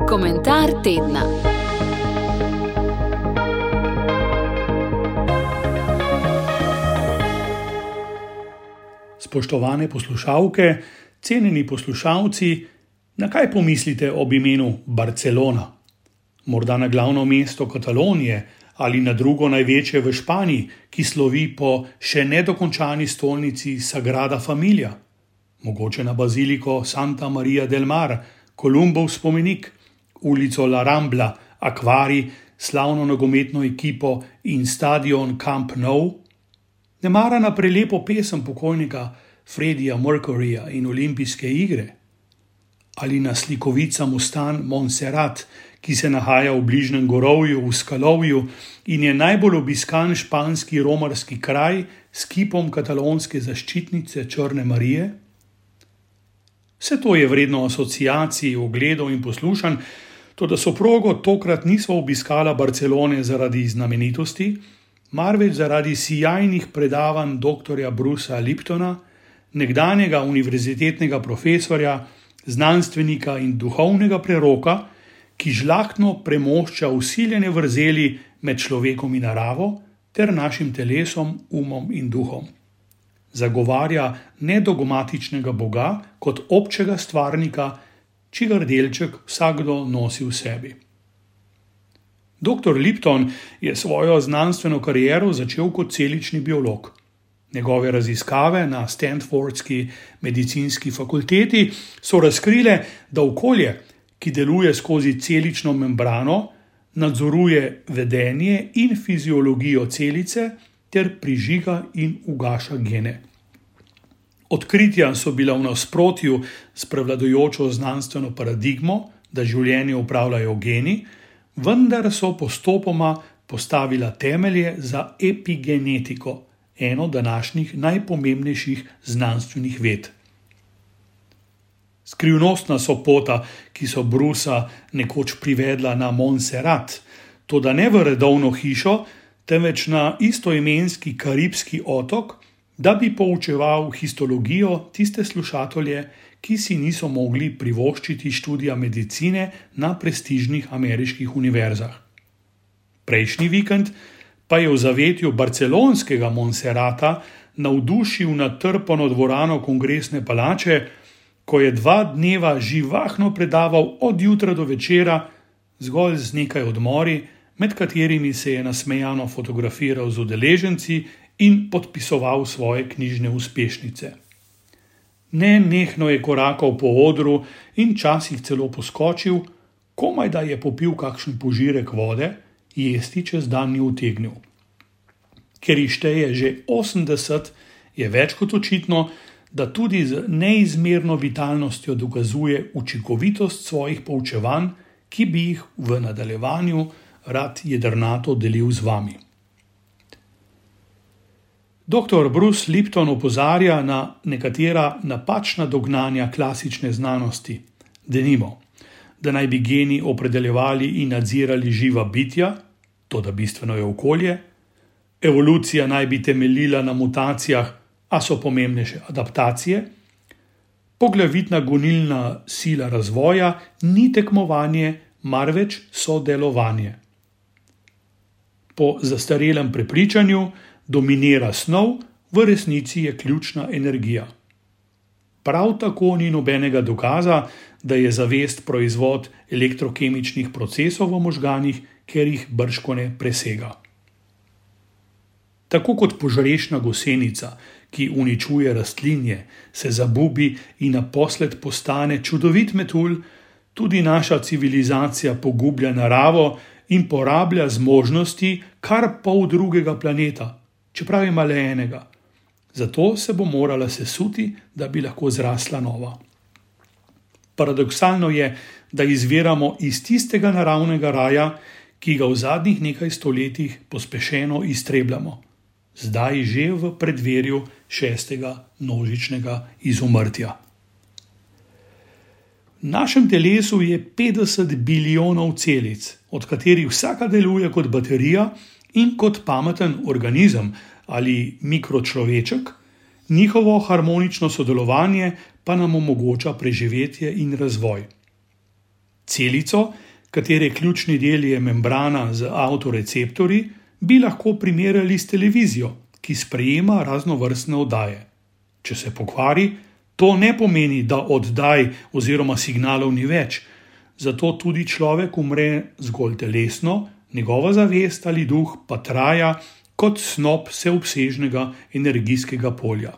Komentar tedna. Spoštovane poslušalke, cenjeni poslušalci, na kaj pomislite ob imenu Barcelona? Morda na glavno mesto Katalonije ali na drugo največje v Španiji, ki slovi po še nedokončani stolnici Sagrada Familia? Mogoče na baziliko Santa Maria del Mar, Kolumbov spomenik, ulico La Rambla, akvarij, slavno nogometno ekipo in stadion Camp Nou? Nemara na prelepo pesem pokojnika Freddija Mercuryja in olimpijske igre? Ali na slikovica Mostan Montserrat, ki se nahaja v bližnjem gorovju v Skalovju in je najbolj obiskan španski romarski kraj s kipom katalonske zaščitnice Črne Marije? Vse to je vredno asociacij, ogledov in poslušanj, toda soprogo tokrat niso obiskala Barcelone zaradi znamenitosti, marveč zaradi sijajnih predavanj dr. Brucea Liptona, nekdanjega univerzitetnega profesorja, znanstvenika in duhovnega preroka, ki žlahtno premošča vsiljene vrzeli med človekom in naravo ter našim telesom, umom in duhom. Zagovarja nedogmatičnega Boga kot občega stvarnika, čigar delček vsakdo nosi v sebi. Dr. Lipton je svojo znanstveno kariero začel kot celični biolog. Njegove raziskave na Stanfordski medicinski fakulteti so razkrile, da okolje, ki deluje skozi celično membrano, nadzoruje vedenje in fiziologijo celice ter prižiga in ugaša gene. Odkritja so bila v nasprotju s prevladujočo znanstveno paradigmo, da življenje upravljajo geni, vendar so postopoma postavila temelje za epigenetiko, eno današnjih najpomembnejših znanstvenih ved. Skrivnostna so pota, ki so Brucea nekoč privedla na Montserrat, toda ne v redovno hišo, temveč na istoimenski karibski otok, da bi poučeval histologijo tiste slušatelje, ki si niso mogli privoščiti študija medicine na prestižnih ameriških univerzah. Prejšnji vikend pa je v zavetju barcelonskega Montserrata navdušil natrpano dvorano Kongresne palače, ko je 2 dneva živahno predaval od jutra do večera, zgolj z nekaj odmori, med katerimi se je nasmejano fotografiral z udeleženci in podpisoval svoje knjižne uspešnice. Nenehno je korakal po odru in časih celo poskočil, komaj da je popil kakšen požirek vode, jesti čez dan ni utegnil. Ker ji šteje že 80, je več kot očitno, da tudi z neizmerno vitalnostjo dokazuje učinkovitost svojih poučevanj, ki bi jih v nadaljevanju rad jedrnato delil z vami. Dr. Bruce Lipton opozarja na nekatera napačna dognanja klasične znanosti. Denimo, da naj bi geni opredeljevali in nadzirali živa bitja, toda bistveno je okolje, evolucija naj bi temeljila na mutacijah, a so pomembnejše adaptacije, poglavitna gonilna sila razvoja ni tekmovanje, marveč sodelovanje. Po zastarelem prepričanju dominira snov, v resnici je ključna energija. Prav tako ni nobenega dokaza, da je zavest proizvod elektrokemičnih procesov v možganih, ker jih bržkone presega. Tako kot požrešna gosenica, ki uničuje rastlinje, se zabubi in naposled postane čudovit metulj, tudi naša civilizacija pogublja naravo in porablja zmožnosti kar pol drugega planeta, čeprav ima le enega. Zato se bo morala sesuti, da bi lahko zrasla nova. Paradoksalno je, da izviramo iz tistega naravnega raja, ki ga v zadnjih nekaj stoletjih pospešeno iztrebljamo. Zdaj že v predverju 6. množičnega izumrtja. V našem telesu je 50 bilijonov celic, od katerih vsaka deluje kot baterija in kot pameten organizem ali mikročloveček, Njihovo harmonično sodelovanje pa nam omogoča preživetje in razvoj. Celico, katere ključni del je membrana z avtoreceptorji, bi lahko primerjali s televizijo, ki sprejema raznovrstne oddaje. Če se pokvari, to ne pomeni, da oddaj oziroma signalov ni več, zato tudi človek umre zgolj telesno, njegova zavest ali duh pa traja kot snop vseobsežnega energijskega polja.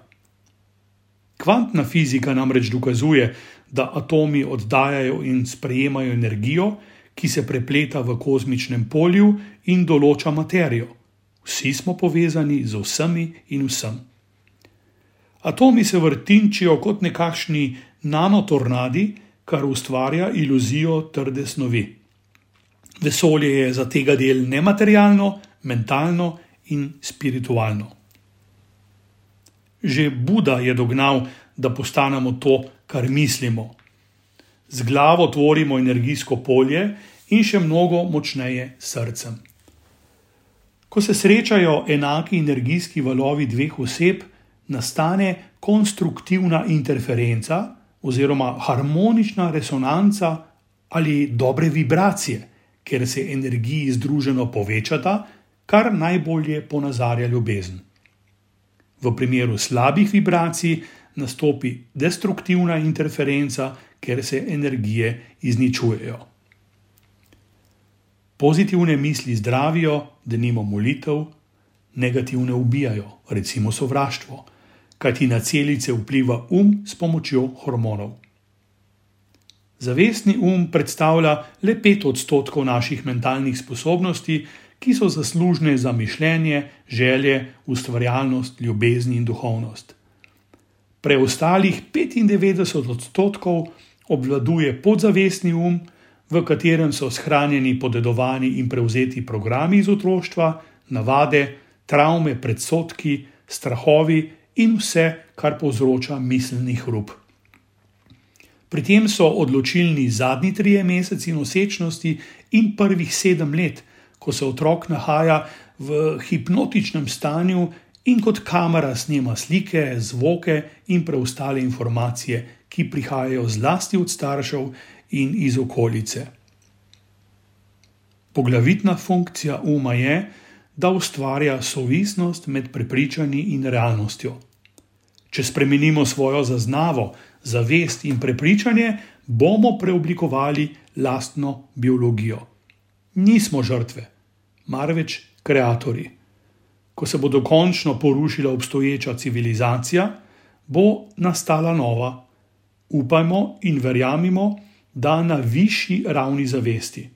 Kvantna fizika namreč dokazuje, da atomi oddajajo in sprejemajo energijo, ki se prepleta v kozmičnem polju in določa materijo. Vsi smo povezani z vsemi in vsem. Atomi se vrtinčijo kot nekakšni nanotornadi, kar ustvarja iluzijo trde snovi. Vesolje je za tega del nematerialno, mentalno in spiritualno. Že Buda je dognal, da postanemo to, kar mislimo. Z glavo tvorimo energijsko polje in še mnogo močneje s srcem. Ko se srečajo enaki energijski valovi dveh oseb, nastane konstruktivna interferenca oziroma harmonična resonanca ali dobre vibracije, ker se energiji združeno povečata, kar najbolje ponazarja ljubezen. V primeru slabih vibracij nastopi destruktivna interferenca, ker se energije izničujejo. Pozitivne misli zdravijo, denimo molitev, negativne ubijajo, recimo sovraštvo, kajti na celice vpliva s pomočjo hormonov. Zavestni predstavlja le 5% naših mentalnih sposobnosti, ki so zaslužne za mišljenje, želje, ustvarjalnost, ljubezen in duhovnost. Preostalih 95% obvladuje podzavestni v katerem so shranjeni podedovani in prevzeti programi iz otroštva, navade, travme, predsodki, strahovi in vse, kar povzroča miselni hrup. Pri tem so odločilni zadnji 3 meseci nosečnosti in prvih 7 let, ko se otrok nahaja v hipnotičnem stanju in kot kamera snema slike, zvoke in preostale informacije, ki prihajajo zlasti od staršev in iz okolice. Poglavitna funkcija je, da ustvarja sovisnost med prepričanji in realnostjo. Če spremenimo svojo zaznavo, zavest in prepričanje, bomo preoblikovali lastno biologijo. Nismo žrtve, marveč kreatorji. Ko se bo dokončno porušila obstoječa civilizacija, bo nastala nova. Upajmo in verjamimo, da na višji ravni zavesti.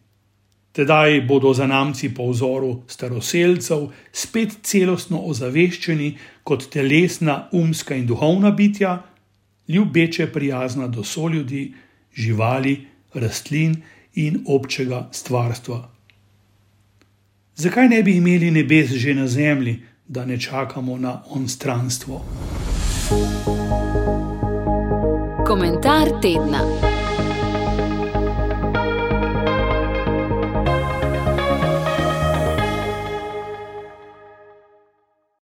Tedaj bodo zanamci po vzoru staroselcev spet celostno ozaveščeni kot telesna, umska in duhovna bitja, ljubeče prijazna do soljudi, živali, rastlin in občega stvarstva. Zakaj ne bi imeli nebes že na zemlji, da ne čakamo na onstranstvo? Komentar tedna.